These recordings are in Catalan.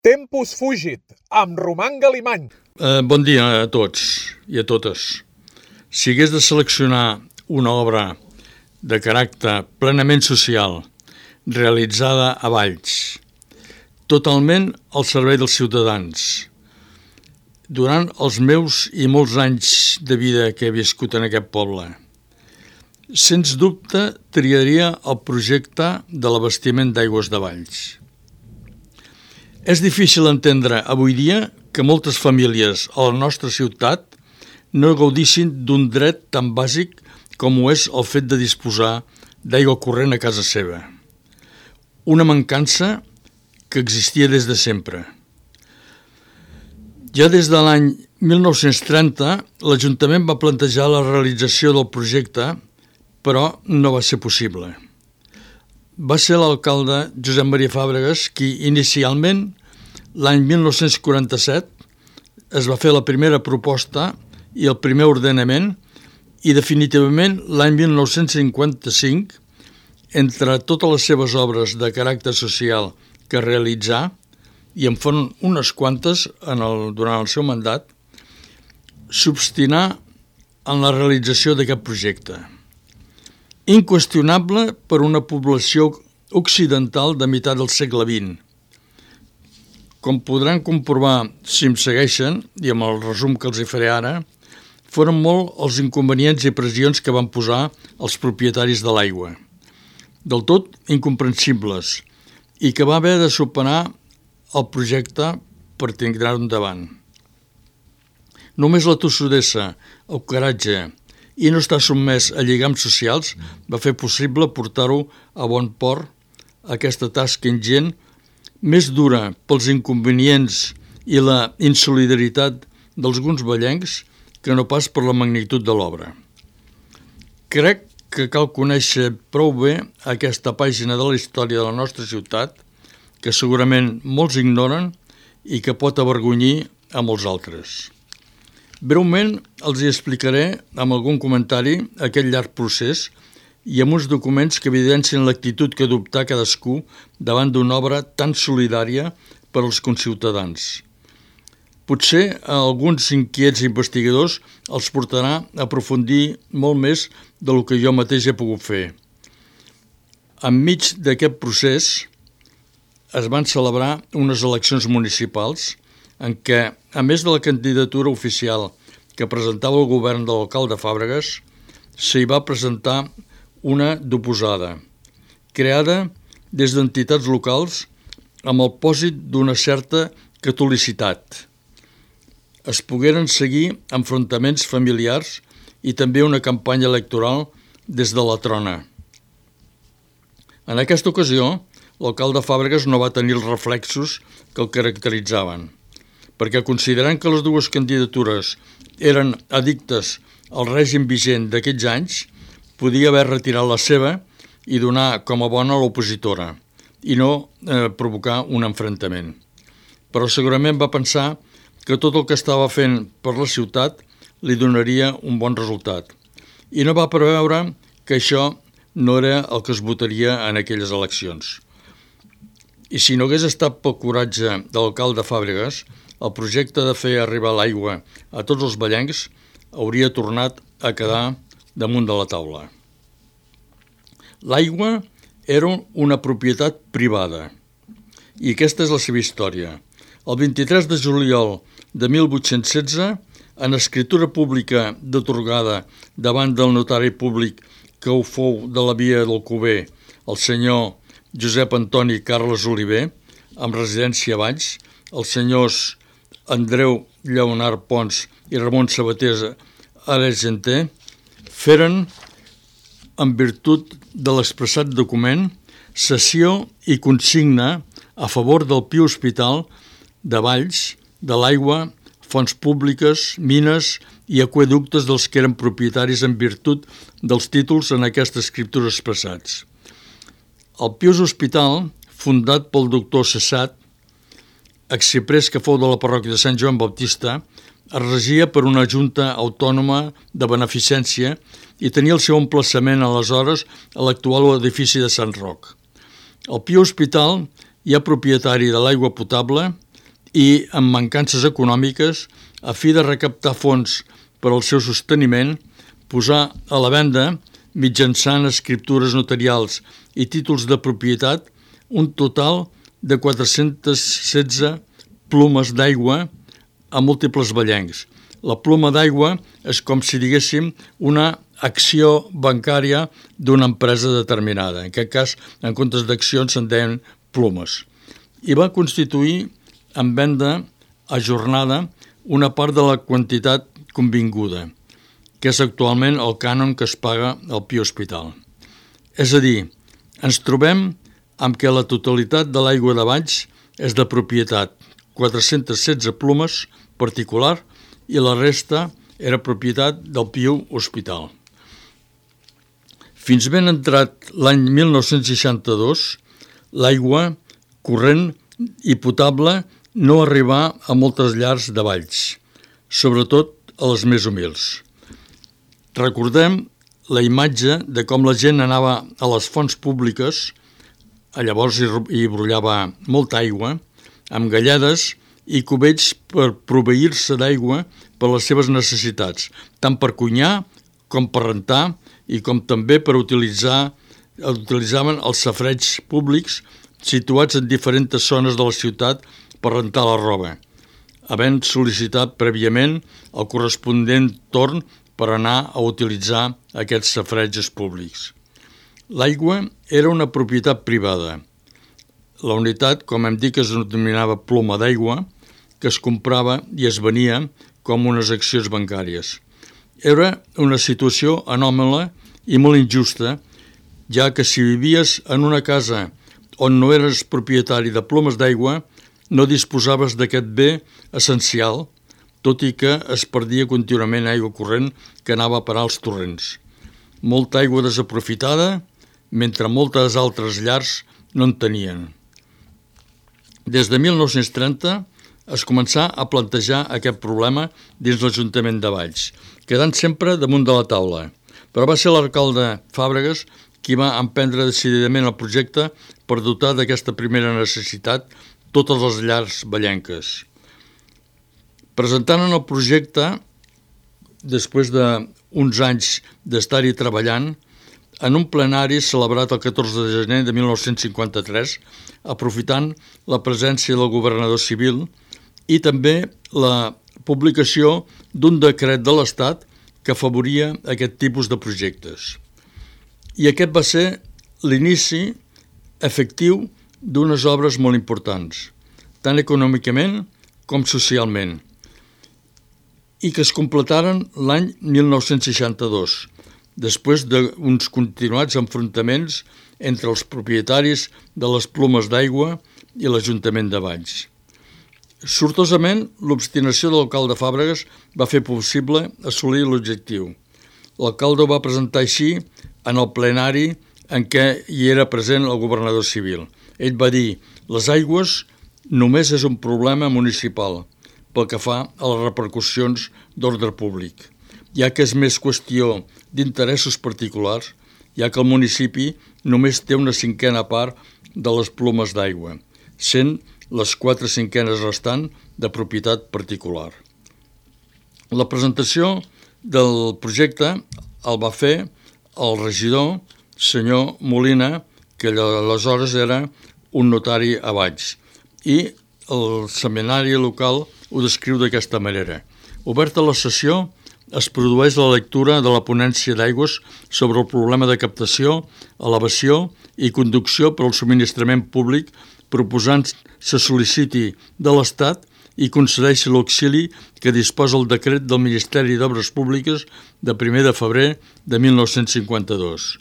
Tempus fugit, amb Roman Galimany. Bon dia a tots i a totes. Si hagués de seleccionar una obra de caràcter plenament social, realitzada a Valls, totalment al servei dels ciutadans, durant els meus i molts anys de vida que he viscut en aquest poble, sens dubte triaria el projecte de l'abastiment d'aigües de Valls. És difícil entendre avui dia que moltes famílies a la nostra ciutat no gaudissin d'un dret tan bàsic com ho és el fet de disposar d'aigua corrent a casa seva. Una mancança que existia des de sempre. Ja des de l'any 1930, l'Ajuntament va plantejar la realització del projecte, però no va ser possible. Va ser l'alcalde Josep Maria Fàbregas qui inicialment, l'any 1947, es va fer la primera proposta i el primer ordenament i definitivament l'any 1955, entre totes les seves obres de caràcter social que realitzà, i en foren unes quantes durant el seu mandat, s'obstinà en la realització d'aquest projecte. Inqüestionable per una població occidental de meitat del segle XX. Com podran comprovar si em segueixen, i amb el resum que els hi faré ara, foren molt els inconvenients i pressions que van posar els propietaris de l'aigua, del tot incomprensibles, i que va haver de superar el projecte per tirar-ho endavant. Només la tossudesa, el coratge i no estar sotmès a lligams socials va fer possible portar-ho a bon port, aquesta tasca ingent, més dura pels inconvenients i la insolidaritat d'alguns vallencs que no pas per la magnitud de l'obra. Crec que cal conèixer prou bé aquesta pàgina de la història de la nostra ciutat, que segurament molts ignoren i que pot avergonyir a molts altres. Breument els hi explicaré amb algun comentari aquest llarg procés i amb uns documents que evidencien l'actitud que adoptà cadascú davant d'una obra tan solidària per als conciutadans. Potser a alguns inquiets investigadors els portarà a aprofundir molt més del que jo mateix he pogut fer. Enmig d'aquest procés es van celebrar unes eleccions municipals en què, a més de la candidatura oficial que presentava el govern de l'alcalde Fàbregas, s'hi va presentar una d'oposada, creada des d'entitats locals amb el pòsit d'una certa catolicitat. Es pogueren seguir enfrontaments familiars i també una campanya electoral des de la trona. En aquesta ocasió, l'alcalde Fàbregas no va tenir els reflexos que el caracteritzaven, perquè considerant que les dues candidatures eren addictes al règim vigent d'aquells anys, podia haver retirat la seva i donar com a bona l'opositora i no provocar un enfrontament. Però segurament va pensar que tot el que estava fent per la ciutat li donaria un bon resultat i no va preveure que això no era el que es votaria en aquelles eleccions. I si no hagués estat pel coratge de l'alcalde Fàbregas, el projecte de fer arribar l'aigua a tots els vallencs hauria tornat a quedar damunt de la taula. L'aigua era una propietat privada i aquesta és la seva història. El 23 de juliol de 1816, en escritura pública d'atorgada davant del notari públic que ho fou de la via d'Alcover, el senyor Josep Antoni Carles Oliver, amb residència a Valls, els senyors Andreu Lleonard Pons i Ramon Sabater Argenter, feren, en virtut de l'expressat document, cessió i consigna a favor del Pi Hospital de Valls, de l'aigua, fonts públiques, mines i aqüeductes dels que eren propietaris en virtut dels títols en aquesta escriptura expressats. El Pius Hospital, fundat pel doctor Cessat, exciprés que fou de la parròquia de Sant Joan Baptista, es regia per una junta autònoma de beneficència i tenia el seu emplaçament aleshores a l'actual edifici de Sant Roc. El Pi Hospital, ja propietari de l'aigua potable, i amb mancances econòmiques, a fi de recaptar fons per al seu sosteniment, posar a la venda, mitjançant escriptures notarials i títols de propietat, un total de 416 plomes d'aigua a múltiples vellencs. La ploma d'aigua és com si diguéssim una acció bancària d'una empresa determinada. En aquest cas, en comptes d'accions, se'n deien plomes. I va constituir en venda ajornada una part de la quantitat convinguda, que és actualment el cànon que es paga al Pia Hospital. És a dir, ens trobem amb què la totalitat de l'aigua de Valls és de propietat 416 plomes particular i la resta era propietat del Pia Hospital. Fins ben entrat l'any 1962, l'aigua corrent i potable no arribà a moltes llars de Valls, sobretot a les més humils. Recordem la imatge de com la gent anava a les fonts públiques, llavors hi brollava molta aigua, amb galledes i cubells per proveir-se d'aigua per les seves necessitats, tant per cuinar com per rentar i com també per utilitzaven els safareigs públics situats en diferents zones de la ciutat per rentar la roba, havent sol·licitat prèviament el corresponent torn per anar a utilitzar aquests safareigs públics. L'aigua era una propietat privada. La unitat, com hem dit, es denominava ploma d'aigua, que es comprava i es venia com unes accions bancàries. Era una situació anòmala i molt injusta, ja que si vivies en una casa on no eres propietari de plomes d'aigua, no disposaves d'aquest bé essencial, tot i que es perdia contínuament aigua corrent que anava a parar als torrents. Molta aigua desaprofitada, mentre moltes altres llars no en tenien. Des de 1930 es començà a plantejar aquest problema dins l'Ajuntament de Valls, quedant sempre damunt de la taula, però va ser l'alcalde Fàbregas qui va emprendre decididament el projecte per dotar d'aquesta primera necessitat totes les llars vallenques. Presentant el projecte, després d'uns anys d'estar-hi treballant, en un plenari celebrat el 14 de gener de 1953, aprofitant la presència del governador civil i també la publicació d'un decret de l'Estat que afavoria aquest tipus de projectes. I aquest va ser l'inici efectiu d'unes obres molt importants, tant econòmicament com socialment, i que es completaren l'any 1962, després d'uns continuats enfrontaments entre els propietaris de les plomes d'aigua i l'Ajuntament de Valls. Sortosament, l'obstinació de l'alcalde Fàbregas va fer possible assolir l'objectiu. L'alcalde ho va presentar així en el plenari en què hi era present el governador civil. Ell va dir: les aigües només és un problema municipal pel que fa a les repercussions d'ordre públic, ja que és més qüestió d'interessos particulars, ja que el municipi només té una cinquena part de les plomes d'aigua, sent les 4/5 restant de propietat particular. La presentació del projecte el va fer el regidor, senyor Molina, que aleshores era un notari a Valls, i el seminari local ho descriu d'aquesta manera. Oberta la sessió, es produeix la lectura de la ponència d'aigües sobre el problema de captació, elevació i conducció per al subministrament públic, proposant se sol·liciti de l'Estat i concedeixi l'auxili que disposa el decret del Ministeri d'Obres Públiques de 1 de febrer de 1952.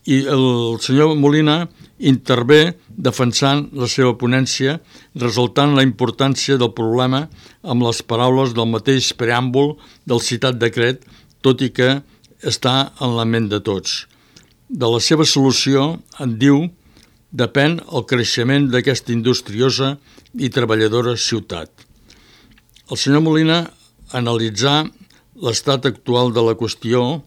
I el senyor Molina intervé defensant la seva ponència, resaltant la importància del problema amb les paraules del mateix preàmbul del citat decret, tot i que està en la ment de tots. De la seva solució, en diu, depèn el creixement d'aquesta industriosa i treballadora ciutat. El senyor Molina analitzà l'estat actual de la qüestió.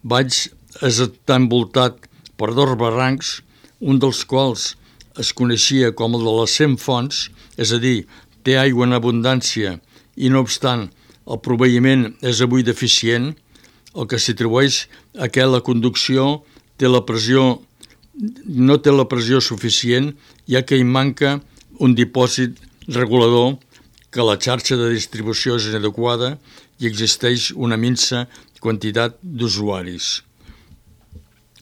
Valls està envoltat per 2 barrancs, un dels quals es coneixia com el de les 100 fonts, és a dir, té aigua en abundància i, no obstant, el proveïment és avui deficient, el que s'atribueix a que la conducció no té la pressió suficient, ja que hi manca un dipòsit regulador, que la xarxa de distribució és inadequada i existeix una minsa quantitat d'usuaris.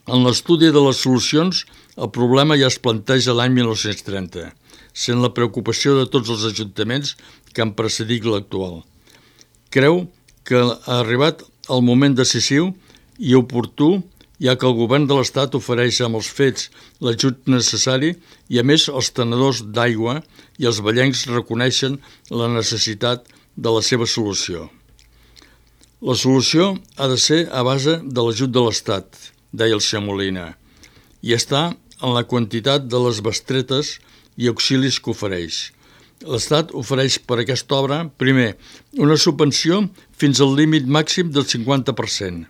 En l'estudi de les solucions, el problema ja es planteja l'any 1930, sent la preocupació de tots els ajuntaments que han precedit l'actual. Creu que ha arribat el moment decisiu i oportú, ja que el govern de l'Estat ofereix amb els fets l'ajut necessari i, a més, els tenedors d'aigua i els vallencs reconeixen la necessitat de la seva solució. La solució ha de ser a base de l'ajut de l'Estat, deia el senyor Molina, i està en la quantitat de les bestretes i auxilis que ofereix. L'Estat ofereix per aquesta obra, primer, una subvenció fins al límit màxim del 50%.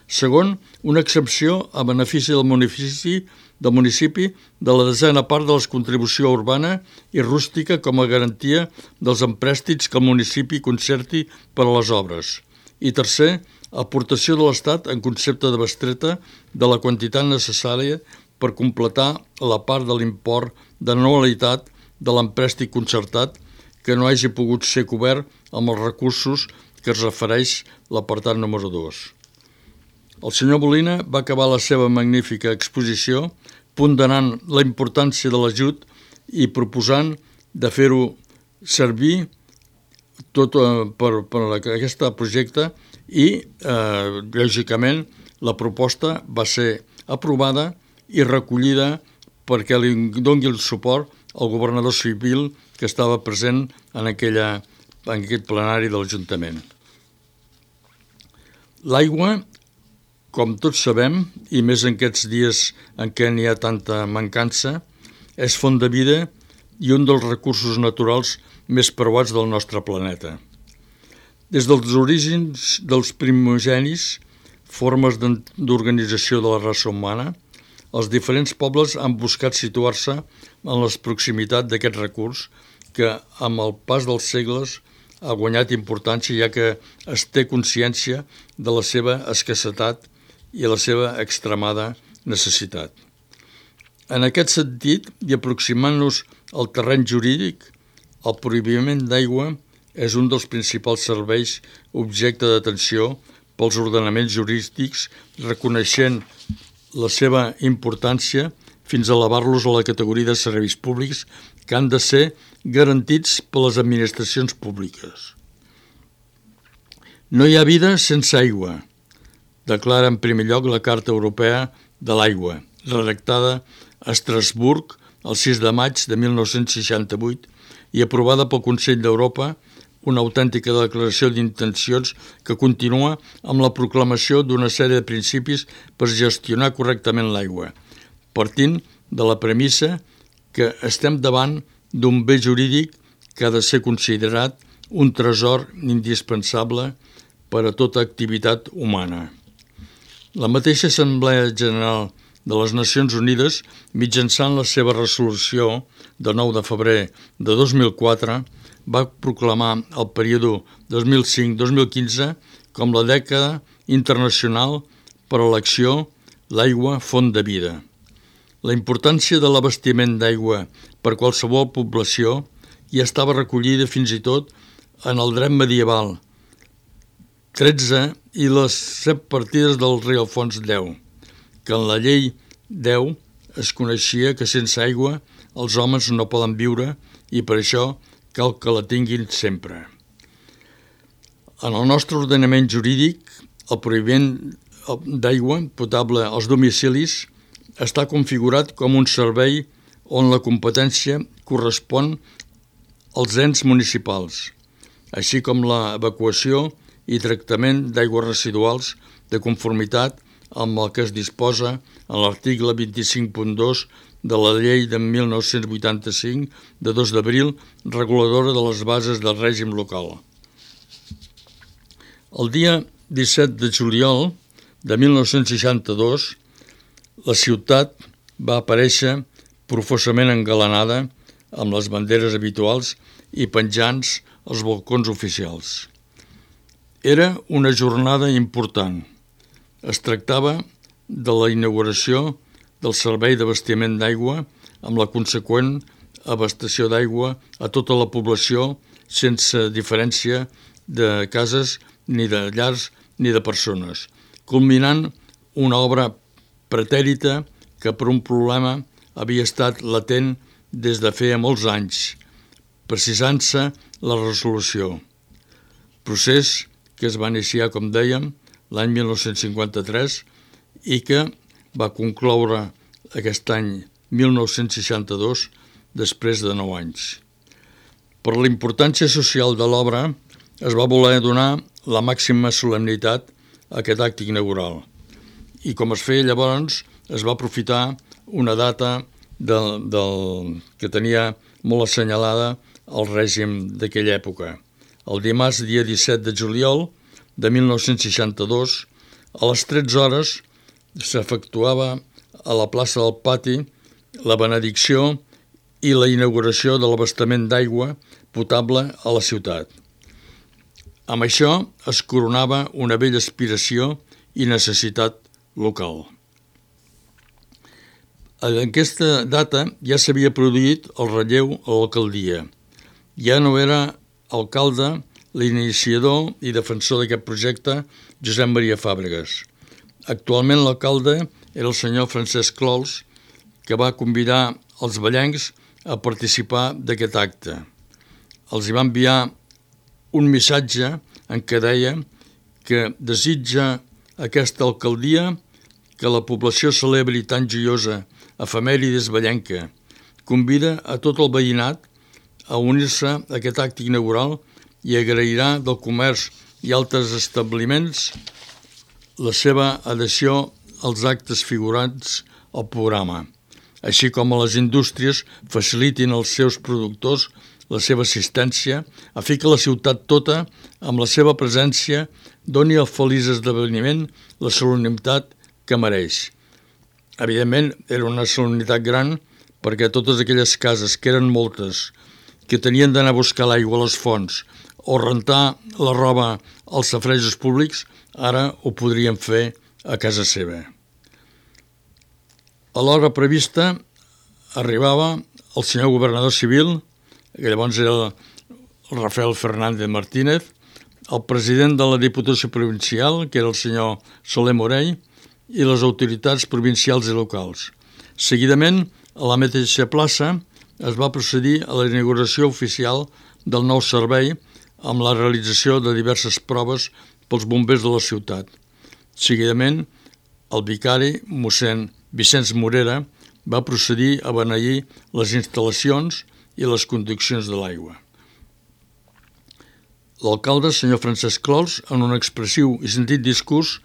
Segon, una exempció a benefici del municipi de la desena part de la contribució urbana i rústica com a garantia dels emprèstits que el municipi concerti per a les obres. I tercer, aportació de l'Estat en concepte de bestreta de la quantitat necessària per completar la part de l'import de anualitat de l'emprèstic concertat que no hagi pogut ser cobert amb els recursos que es refereix l'apartat número 2. El senyor Molina va acabar la seva magnífica exposició ponderant la importància de l'ajut i proposant de fer-ho servir tot per aquest projecte i, lògicament, la proposta va ser aprovada i recollida perquè li doni el suport al governador civil que estava present en aquest plenari de l'Ajuntament. L'aigua, com tots sabem, i més en aquests dies en què n'hi ha tanta mancança, és font de vida i un dels recursos naturals més preuats del nostre planeta. Des dels orígens dels primogenis, formes d'organització de la raça humana, els diferents pobles han buscat situar-se en la proximitat d'aquest recurs que, amb el pas dels segles, ha guanyat importància ja que es té consciència de la seva escassetat i la seva extremada necessitat. En aquest sentit, i aproximant-nos al terreny jurídic, el prohibiment d'aigua és un dels principals serveis objecte d'atenció pels ordenaments jurídics, reconeixent la seva importància fins a elevar-los a la categoria de serveis públics que han de ser garantits per les administracions públiques. No hi ha vida sense aigua, declara en primer lloc la Carta Europea de l'Aigua, redactada a Estrasburg el 6 de maig de 1968 i aprovada pel Consell d'Europa, una autèntica declaració d'intencions que continua amb la proclamació d'una sèrie de principis per gestionar correctament l'aigua, partint de la premissa que estem davant d'un bé jurídic que ha de ser considerat un tresor indispensable per a tota activitat humana. La mateixa Assemblea General de les Nacions Unides, mitjançant la seva resolució de 9 de febrer de 2004, va proclamar el període 2005-2015 com la dècada internacional per a l'acció L'aigua, font de vida. La importància de l'abastiment d'aigua per qualsevol població ja estava recollida fins i tot en el dret medieval 13 i les 7 partides del rei Alfons X, que en la llei 10 es coneixia que sense aigua els homes no poden viure i per això cal que la tinguin sempre. En el nostre ordenament jurídic, el prohibiment d'aigua potable als domicilis està configurat com un servei on la competència correspon als ens municipals, així com l'evacuació i tractament d'aigües residuals de conformitat amb el que es disposa en l'article 25.2 de la llei de 1985 de 2 d'abril reguladora de les bases del règim local. El dia 17 de juliol de 1962 la ciutat va aparèixer profusament engalanada amb les banderes habituals i penjants als balcons oficials. Era una jornada important. Es tractava de la inauguració del servei d'abastiment d'aigua amb la conseqüent abastament d'aigua a tota la població sense diferència de cases, ni de llars, ni de persones, culminant una obra pretèrita que per un problema havia estat latent des de feia molts anys, precisant-se la resolució. Procés que es va iniciar, com dèiem, l'any 1953 i que va concloure aquest any 1962 després de 9 anys. Per la importància social de l'obra es va voler donar la màxima solemnitat a aquest acte inaugural i com es feia llavors es va aprofitar una data que tenia molt assenyalada el règim d'aquella època. El dimarts, dia 17 de juliol de 1962, a les 13 hores s'efectuava a la plaça del Pati la benedicció i la inauguració de l'abastament d'aigua potable a la ciutat. Amb això es coronava una vella aspiració i necessitat local. En aquesta data ja s'havia produït el relleu a l'alcaldia. Ja no era alcalde l'iniciador i defensor d'aquest projecte Josep Maria Fàbregas. Actualment l'alcalde era el senyor Francesc Clols, que va convidar els vallencs a participar d'aquest acte. Els hi va enviar un missatge en què deia que desitja aquesta alcaldia que la població celebri tan joiosa efemèrides vallenca. Convida a tot el veïnat a unir-se a aquest acte inaugural i agrairà del comerç i altres establiments la seva adhesió als actes figurants al programa, així com a les indústries facilitin als seus productors la seva assistència, a fi que la ciutat tota, amb la seva presència, doni al feliç esdeveniment la solemnitat que mereix. Evidentment, era una solemnitat gran perquè totes aquelles cases, que eren moltes, que tenien d'anar a buscar l'aigua a les fonts o rentar la roba als safaretjos públics, ara ho podrien fer a casa seva. A l'hora prevista arribava el senyor governador civil, que llavors era el Rafael Fernández Martínez, el president de la Diputació Provincial, que era el senyor Soler Morell, i les autoritats provincials i locals. Seguidament, a la mateixa plaça, es va procedir a la inauguració oficial del nou servei amb la realització de diverses proves pels bombers de la ciutat. Seguidament, el vicari, mossèn Vicenç Morera, va procedir a beneir les instal·lacions i les conduccions de l'aigua. L'alcalde, senyor Francesc Clols, en un expressiu i sentit discurs,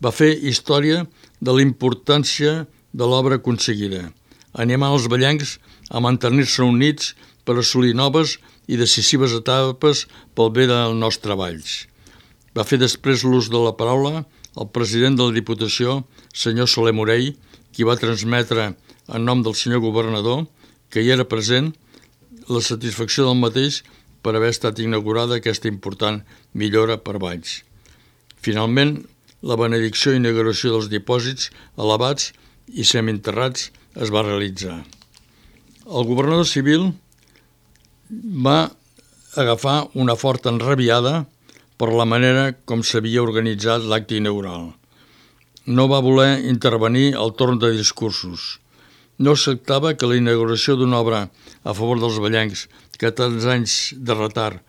va fer història de la importància de l'obra aconseguida, animant els vallencs a mantenir-se units per assolir noves i decisives etapes pel bé dels nostres treballs. Va fer després l'ús de la paraula el president de la Diputació, senyor Soler Morell, qui va transmetre en nom del senyor governador, que hi era present, la satisfacció del mateix per haver estat inaugurada aquesta important millora per Valls. Finalment, la benedicció i inauguració dels dipòsits elevats i semienterrats es va realitzar. El governador civil va agafar una forta enrabiada per la manera com s'havia organitzat l'acte inaugural. No va voler intervenir al torn de discursos. No acceptava que la inauguració d'una obra a favor dels vallencs, que tants anys de retard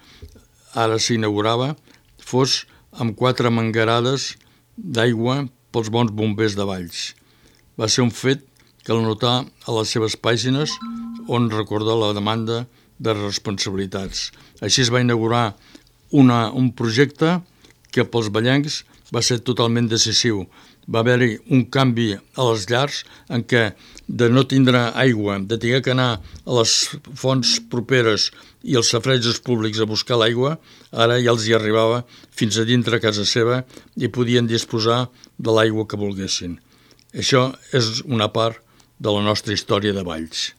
ara s'inaugurava, fos amb 4 mangarades d'aigua pels bons bombers de Valls. Va ser un fet que el notà a les seves pàgines on recorda la demanda de responsabilitats. Així es va inaugurar un projecte que pels vallencs va ser totalment decisiu. Va haver-hi un canvi a les llars en què de no tindre aigua, de tenir que anar a les fonts properes i als safaretjos públics a buscar l'aigua, ara ja els hi arribava fins a dintre casa seva i podien disposar de l'aigua que volguessin. Això és una part de la nostra història de Valls.